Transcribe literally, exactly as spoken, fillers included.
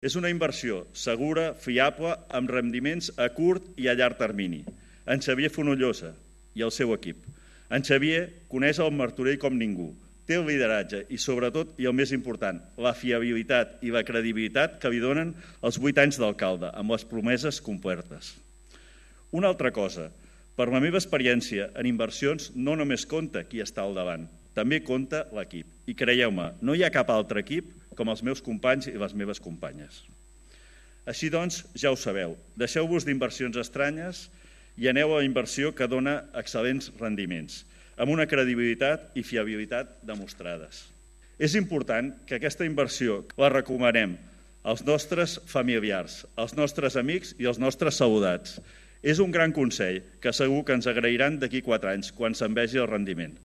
És una inversió segura, fiable, amb rendiments a curt i a llarg termini. En Xavier Fonollosa i el seu equip. En Xavier coneix el Martorell com ningú. Té el lideratge i, sobretot, i el més important, la fiabilitat i la credibilitat que li donen els vuit anys d'alcalde, amb les promeses complertes. Una altra cosa, per la meva experiència en inversions no només compta qui està al davant, també compta l'equip. I creieu-me, no hi ha cap altre equip com els meus companys i les meves companyes. Així doncs, ja ho sabeu, deixeu-vos d'inversions estranyes i aneu a la inversió que dona excel·lents rendiments, amb una credibilitat i fiabilitat demostrades. És important que aquesta inversió la recomanem als nostres familiars, als nostres amics i als nostres saludats. És un gran consell que segur que ens agrairan d'aquí quatre anys, quan se'n vegi el rendiment.